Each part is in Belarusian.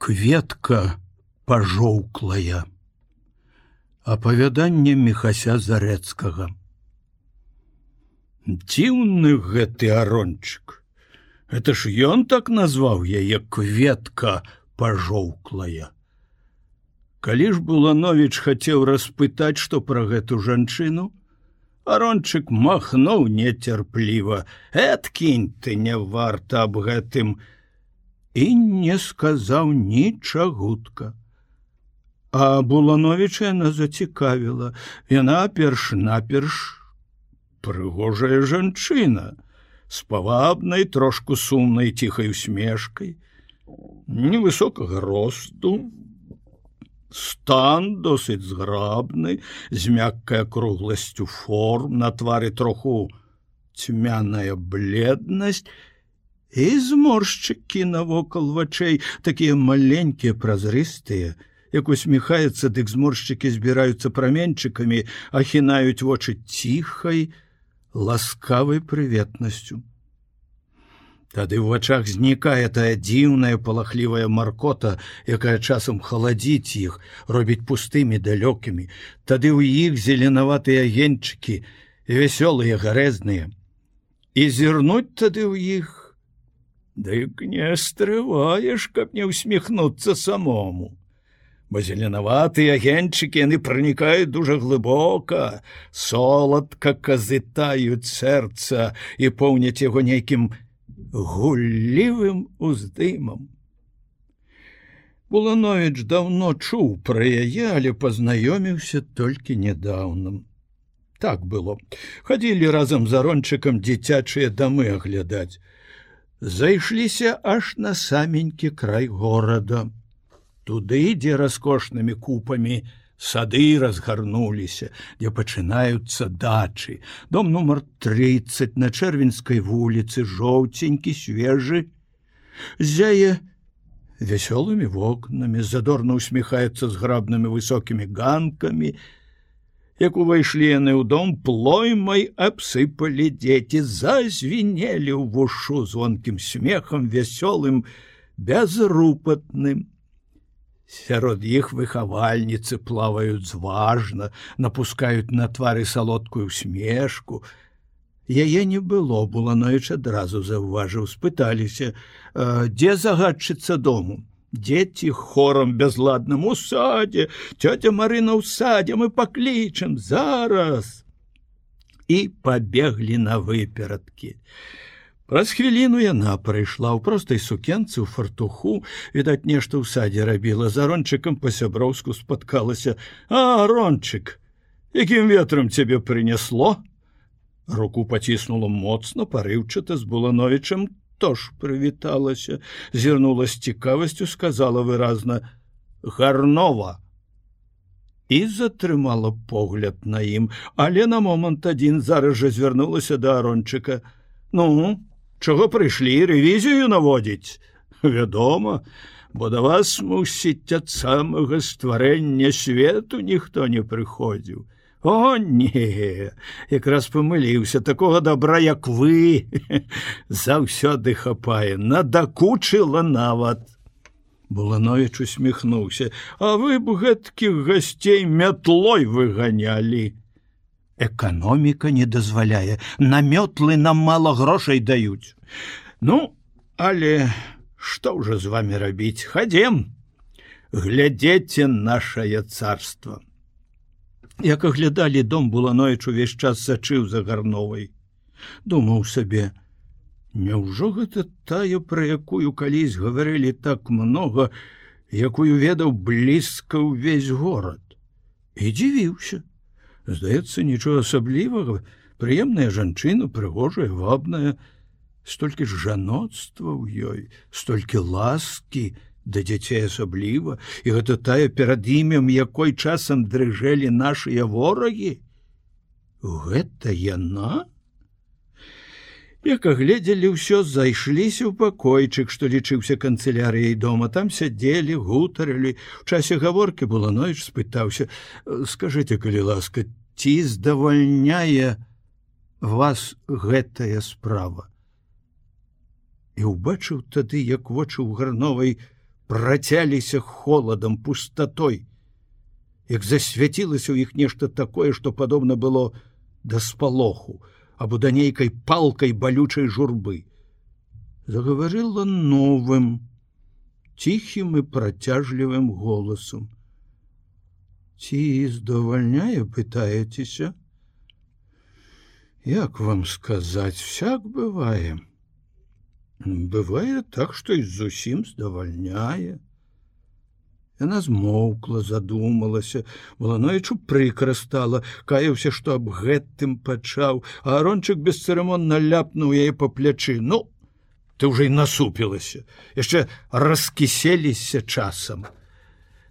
Кветка пажоўклая. Апавяданне Міхася Зарэцкага. Дзіўны гэты арончык. Это ж ён так назваў яе кветка пажоўклая. Калі ж Булановіч хацеў распытаць, што пра гэту жанчыну, арончык махнуў нецярпліва: «Эткінь ты, не варта аб гэтым», і не сказаў нічагутка. А Булановіча яна зацікавіла. Яна перш-наперш прыгожая жанчына, з павабнай, трошку сумнай ціхай усмешкай, невысокага росту, стан досыць зграбны, з мяккай акругласцю форм, на твары троху цьмяная бледнасць, і зморшчыкі навокал вачэй, такія маленькія, празрыстыя, як усміхаецца, дык зморшчыкі збіраюцца праменчыкамі, ахінаюць вочы ціхай, ласкавай прыветнасцю. Тады ў вачах знікае тая дзіўная палахлівая маркота, якая часам халадзіць іх, робіць пустымі, далёкімі. Тады ў іх зеленаватыя агеньчыкі, вясёлыя, гарэзныя. І зірнуць тады ў іх, дык не стрываеш, каб не усміхнуцца самому. Бо зеленаватыя агеньчыкі, яны пранікаюць дужа глыбока, соладка казытаюць сэрца і поўняць яго нейкім гуллівым уздымам. Булановіч даўно чуў пра яе, але пазнаёміўся толькі нядаўна. Так было. Хадзілі разам з арончыкам дзіцячыя дамы аглядаць. Зайшліся аж на саменькі край горада. Туды, дзе раскошнымі купамі сады разгарнуліся, дзе пачынаюцца дачы. Дом нумар 30 на Чэрвеньскай вуліцы, жоўценькі, свежы, зяе вясёлымі вокнамі, задорна усміхаецца зграбнымі высокімі ганкамі. Як увайшлі яны ў дом, плоймай абсыпалі дзеці, зазвінелі ў вушу звонкім смехам, вясёлым, бязрупатным. Сярод іх выхавальніцы плаваюць зважна, напускаюць на твары салодкую усмешку. Яе не было, Булановіч адразу заўважыў, спыталіся: «Дзе загадчыца дому?» Дзеці хорам бязладным: «У садзе, цётя Марына ў садзе, мы паклічам зараз!» І пабеглі на выперадкі. Праз хвіліну яна прыйшла ў простай сукенцы, ў фартуху, відаць, нешта ў садзе рабіла, з арончыкам па-сяброўску спаткалася. «А, арончык, якім ветрам цябе прынесло?» Руку паціснула моцна, парыўчата, з Булановічам тож прывіталася, зірнула з цікавасцю, сказала выразна: «Гарнова!» І затрымала погляд на ім, але на момант адзін зараз жа звярнулася да арончыка. «Ну, чаго прыйшлі, рэвізію наводзіць?» «Вядома, бо да вас, мусіць, ад самага стварэння свету ніхто не прыходзіў». «О, не, якраз памыліўся, такога добра, як вы, заўсёды хапае, надакучыла нават». Булановіч усміхнуўся: «А вы б гэткіх гасцей мятлой выганялі». «Эканоміка не дазваляе, на мётлы нам мала грошай даюць». «Ну, але што ўжо з вамі рабіць? Хадзем, глядзеце нашае царства». Як аглядалі дом, Булановіч увесь час сачыў за Гарновай. Думаў сабе: няўжо гэта тая, пра якую калісь гаварылі так многа, якую ведаў блізка ўвесь горад? І дзівіўся. Здаецца, нічога асаблівага, прыемная жанчына, прыгожая, вабная, столькі ж жаноцтва ў ёй, столькі ласкі, да дзяцей асабліва, і гэта тая, перад імем якой часам дрыжэлі нашыя ворагі. Гэта яна? Як агледзелі ўсё, зайшліся ў пакойчык, што лічыўся канцылярыяй дома. Там сядзелі, гутарылі. У часе гаворкі Булановіч спытаўся: «Скажыце, калі ласка, ці здавальняе вас гэтая справа?» І ўбачыў тады, як вочы ў Гарновай працяліся холадам, пустатой, як засвяцілася ў іх нешта такое, што падобна было да спалоху або да нейкай палкай балючай журбы. Загаварыла новым, ціхім і працяжлівым голасам. Ці здавальняе, пытаецеся? Як вам сказаць, всяк бывае. Бывае так, што і зусім здавальняе. Яна змоўкла, задумалася, Булановічу прыкра стала, каяўся, што аб гэтым пачаў, а Арончык бесцырымонна ляпнуў яе па плячы. Ну, ты ўжо і насупілася, яшчэ раскіселіся часам.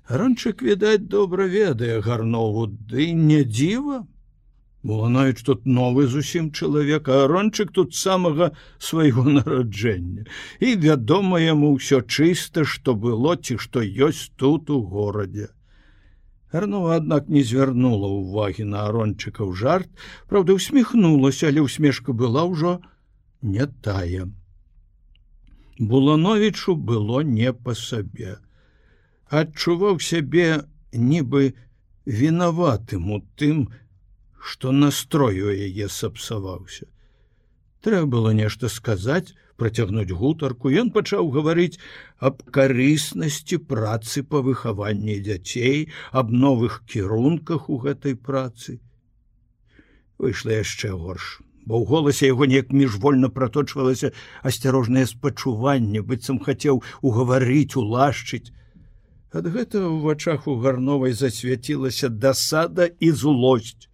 Арончык, відаць, добра ведае Гарнову, ды не дзіва. Булановіч тут новы зусім чалавек, а Арончык тут самага свайго нараджэння. І вядома яму ўсё чыста, што было ці што ёсць тут у горадзе. Гарнова, аднак, не звярнула ўвагі на Арончыкаў жарт, праўда, усміхнулася, але усмешка была ўжо не тая. Булановічу было не па сабе. Адчуваў сябе нібы вінаватым у тым, што настрой у яе сапсаваўся. Трэба было нешта сказаць, працягнуць гутарку. Ён пачаў гаварыць аб карыснасці працы па выхаванні дзяцей, аб новых кірунках у гэтай працы. Выйшла яшчэ горш, бо ў голасе яго неяк міжвольна праточвалася асцярожнае спачуванне, быццам хацеў угаварыць, улашчыць. Ад гэтага ў вачах у Гарновай засвяцілася дасада і злосць.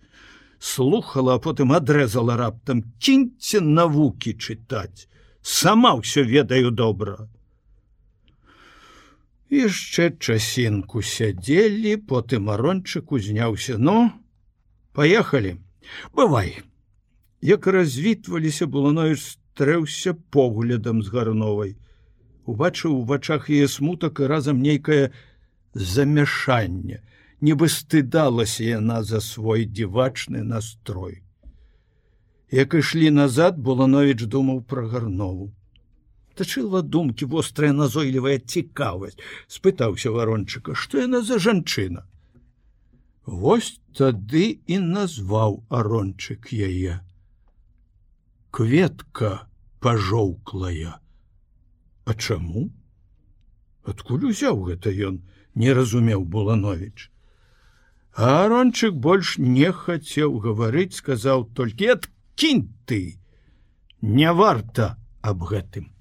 Слухала, а потым адрэзала раптам: «Кіньце навукі чытаць, сама ўсё ведаю добра». Яшчэ часінку сядзелі, потым Арончык узняўся. «Ну, паехалі, бывай». Як развітваліся, Булановіч стрэўся поглядам з Гарновай. Убачыў у вачах яе смутак і разам нейкае замяшанне. Нібы стыдалася яна за свой дзівачны настрой. Як ішлі назад, Булановіч думаў пра Гарнову. Тачыла думкі вострая назойлівая цікавасць. Спытаўся Арончыка, што яна за жанчына. Вось тады і назваў Арончык яе. Кветка пажоўклая. А чаму? Адкуль узяў гэта ён, не разумеў Булановіч. А Арончык больш не хацеў гаварыць, сказаў толькі: «Адкінь ты, не варта аб гэтым».